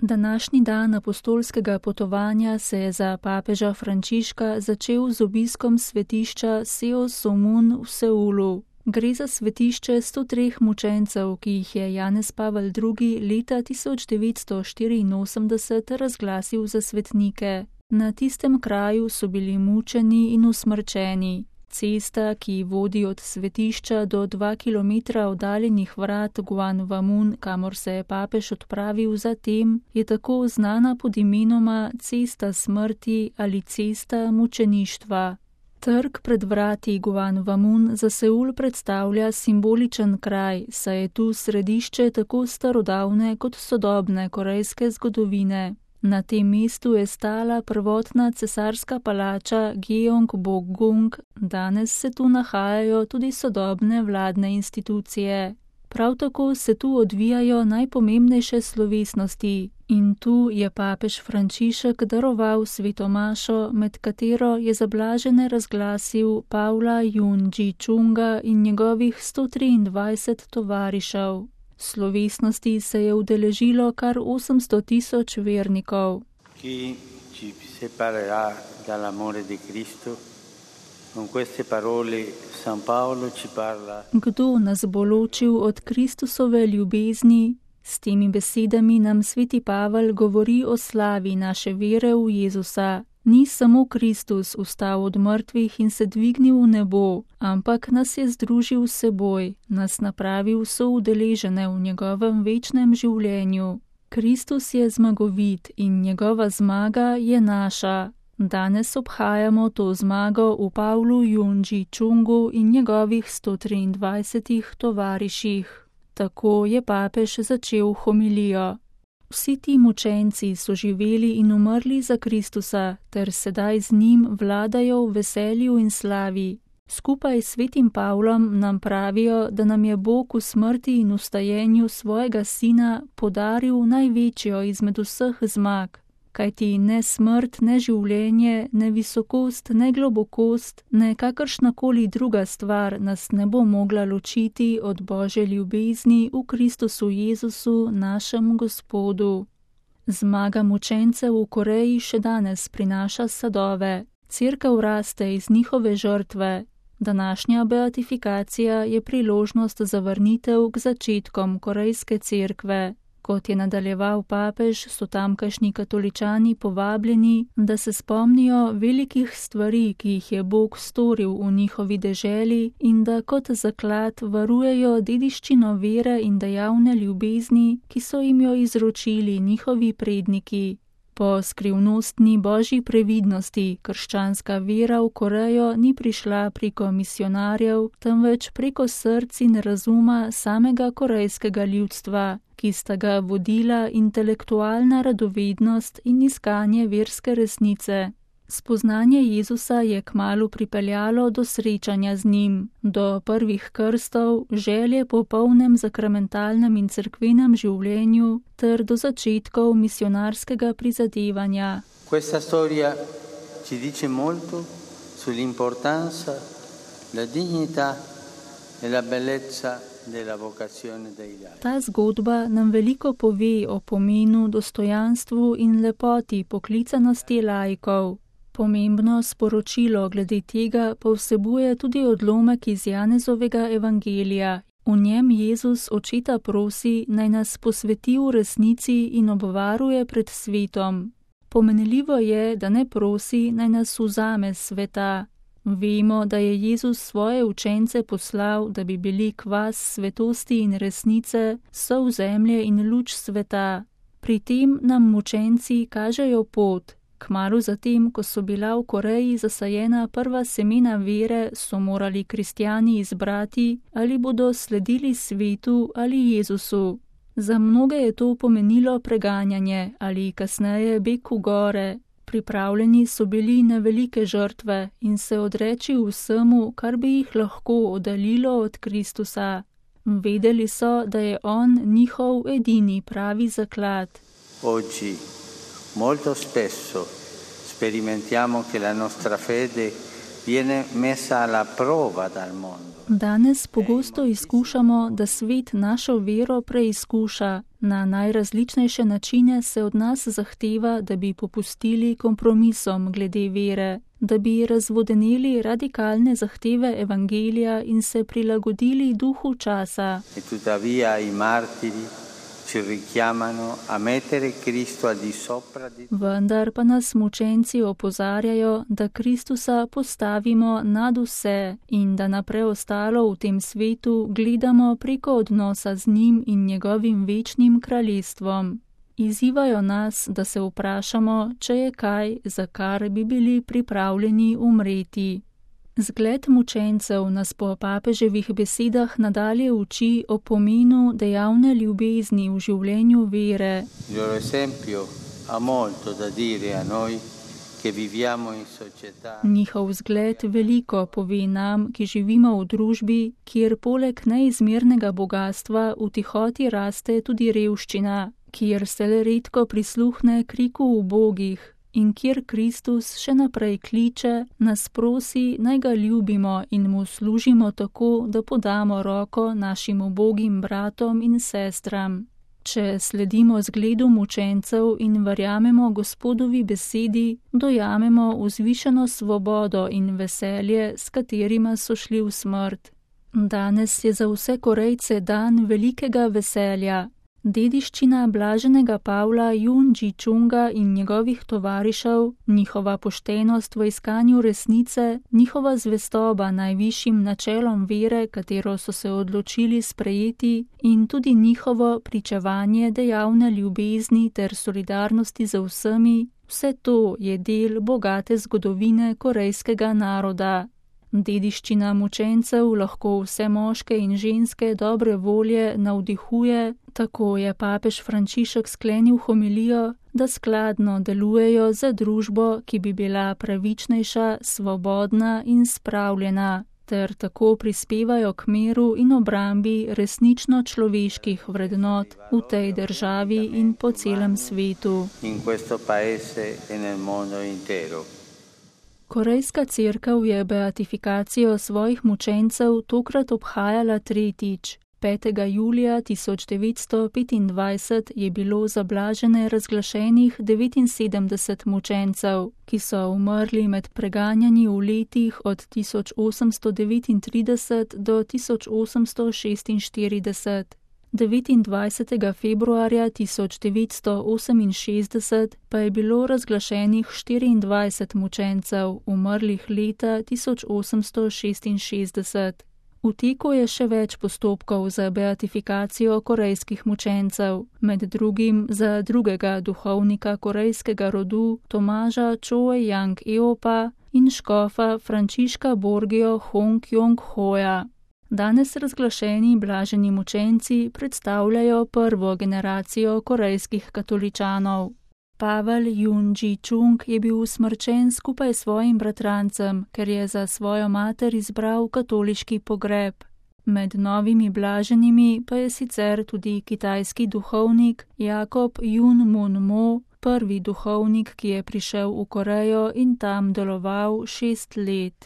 Današnji dan apostolskega potovanja se je za papeža Frančiška začel z obiskom svetišča Seo Somun v Seulu. Gre za svetišče 103 mučencev, ki jih je Janez Pavel II. Leta 1984 razglasil za svetnike. Na tistem kraju so bili mučeni in usmrčeni. Cesta, ki vodi od svetišča do 2 km oddaljenih vrat Guanwamun, kamor se je papež odpravil zatem, je tako znana pod imenoma Cesta smrti ali Cesta mučeništva. Trg pred vrati Guanwamun za Seul predstavlja simboličen kraj, saj je tu središče tako starodavne kot sodobne korejske zgodovine. Na tem mestu je stala prvotna cesarska palača Gyeongbokgung, danes se tu nahajajo tudi sodobne vladne institucije. Prav tako se tu odvijajo najpomembnejše slovesnosti in tu je papež Frančišek daroval sveto mašo, med katero je za blažene razglasil Pavla Jun-Ji-Chunga in njegovih 123 tovarišev. Slovesnosti se je udeležilo kar 800.000 vernikov. Chi ci separerà dall'amore di Cristo? Con queste parole San Paolo ci parla. Kdo nas bo ločil od Kristusove ljubezni? S temi besedami nam sveti Pavel govori o slavi naše vere v Jezusa. Ni samo Kristus vstal od mrtvih in se dvignil v nebo, ampak nas je združil s seboj, nas napravil soudeležene v njegovem večnem življenju. Kristus je zmagovit in njegova zmaga je naša. Danes obhajamo to zmago v Pavlu Jun-Ji-Chungu in njegovih 123 tovariših. Tako je papež začel homilijo. Vsi ti mučenci so živeli in umrli za Kristusa, ter sedaj z njim vladajo v veselju in slavi. Skupaj s svetim Pavlom nam pravijo, da nam je Bog v smrti in vstajenju svojega sina podaril največjo izmed vseh zmag. Kajti ne smrt, ne življenje, ne visokost, ne globokost, ne kakršnakoli druga stvar nas ne bo mogla ločiti od Božje ljubezni v Kristusu Jezusu, našem Gospodu. Zmaga mučencev v Koreji še danes prinaša sadove. Cerkev raste iz njihove žrtve. Današnja beatifikacija je priložnost za vrnitev k začetkom korejske cerkve. Kot je nadaljeval papež, so tamkajšnji katoličani povabljeni, da se spomnijo velikih stvari, ki jih je Bog storil v njihovi deželi in da kot zaklad varujejo dediščino vere in dejavne ljubezni, ki so jim jo izročili njihovi predniki. Po skrivnostni božji previdnosti krščanska vera v Korejo ni prišla preko misionarjev, temveč preko src in razuma samega korejskega ljudstva, ki sta ga vodila intelektualna radovednost in iskanje verske resnice. Spoznanje Jezusa je kmalu pripeljalo do srečanja z njim, do prvih krstov, želje po polnem sakramentalnem in cerkvenem življenju ter do začetkov misionarskega prizadevanja. Questa storia ci dice molto sull'importanza, la dignità e la bellezza della vocazione dei laici. Ta zgodba nam veliko pove o pomenu, dostojanstvu in lepoti poklicanosti laikov. Pomembno sporočilo glede tega pa vsebuje tudi odlomek iz Janezovega evangelija. V njem Jezus očeta prosi, naj nas posveti v resnici in obvaruje pred svetom. Pomenljivo je, da ne prosi, naj nas vzame s sveta. Vemo, da je Jezus svoje učence poslal, da bi bili kvas svetosti in resnice, sol zemlje in luč sveta. Pri tem nam mučenci kažejo pot. Kmalu zatem, ko so bila v Koreji zasajena prva semena vere, so morali kristjani izbrati, ali bodo sledili svetu ali Jezusu. Za mnoge je to pomenilo preganjanje ali kasneje beg v gore. Pripravljeni so bili na velike žrtve in se odreči vsemu, kar bi jih lahko oddaljilo od Kristusa. Vedeli so, da je on njihov edini pravi zaklad. Oggi molto spesso sperimentiamo che la nostra fede viene messa alla prova dal mondo. Danes pogosto izkušamo, da svet našo vero preizkuša. Na najrazličnejše načine se od nas zahteva, da bi popustili kompromisom glede vere, da bi razvodeneli radikalne zahteve evangelija in se prilagodili duhu časa. E tuttavia i martiri ci richiamano a mettere Cristo al di sopra di... Vendar pa nas mučenci opozarjajo, da Kristusa postavimo nad vse in da na preostalo v tem svetu gledamo preko odnosa z njim in njegovim večnim kraljestvom. Izzivajo nas, da se vprašamo, če je kaj, za kar bi bili pripravljeni umreti. Zgled mučencev nas po papeževih besedah nadalje uči o pomenu dejavne ljubezni v življenju vere. Il loro esempio ha molto da dire a noi che viviamo in società. Njihov zgled veliko pove nam, ki živimo v družbi, kjer poleg neizmernega bogastva v tihoti raste tudi revščina, kjer se le redko prisluhne kriku ubogih in kjer Kristus še naprej kliče, nas prosi, naj ga ljubimo in mu služimo tako, da podamo roko našim ubogim bratom in sestram. Če sledimo zgledu mučencev in verjamemo Gospodovi besedi, dojamemo vzvišeno svobodo in veselje, s katerima so šli v smrt. Danes je za vse Korejce dan velikega veselja. Dediščina blaženega Pavla Jun Ji-chunga in njegovih tovarišev, njihova poštenost v iskanju resnice, njihova zvestoba najvišjim načelom vere, katero so se odločili sprejeti, in tudi njihovo pričevanje dejavne ljubezni ter solidarnosti z vsemi, vse to je del bogate zgodovine korejskega naroda. Dediščina mučencev lahko vse moške in ženske dobre volje navdihuje, tako je papež Frančišek sklenil homilijo, da skladno delujejo za družbo, ki bi bila pravičnejša, svobodna in spravljena, ter tako prispevajo k miru in obrambi resnično človeških vrednot v tej državi in po celem svetu. In questo paese e nel mondo intero. Korejska cerkev je beatifikacijo svojih mučencev tokrat obhajala tretjič. 5. julija 1925 je bilo za blažene razglašenih 79 mučencev, ki so umrli med preganjanji v letih od 1839 do 1846. 29. februarja 1968 pa je bilo razglašenih 24 mučencev, umrlih leta 1866. V teku je še več postopkov za beatifikacijo korejskih mučencev, med drugim za drugega duhovnika korejskega rodu Tomaža Choe-yang-eopa in škofa Frančiška Borgio Hong-kyong-hoja. Danes razglašeni blaženi mučenci predstavljajo prvo generacijo korejskih katoličanov. Pavel Jun Ji-chung je bil usmrčen skupaj s svojim bratrancem, ker je za svojo mater izbral katoliški pogreb. Med novimi blaženimi pa je sicer tudi kitajski duhovnik Jakob Jun Mun Mo, prvi duhovnik, ki je prišel v Korejo in tam deloval 6 let.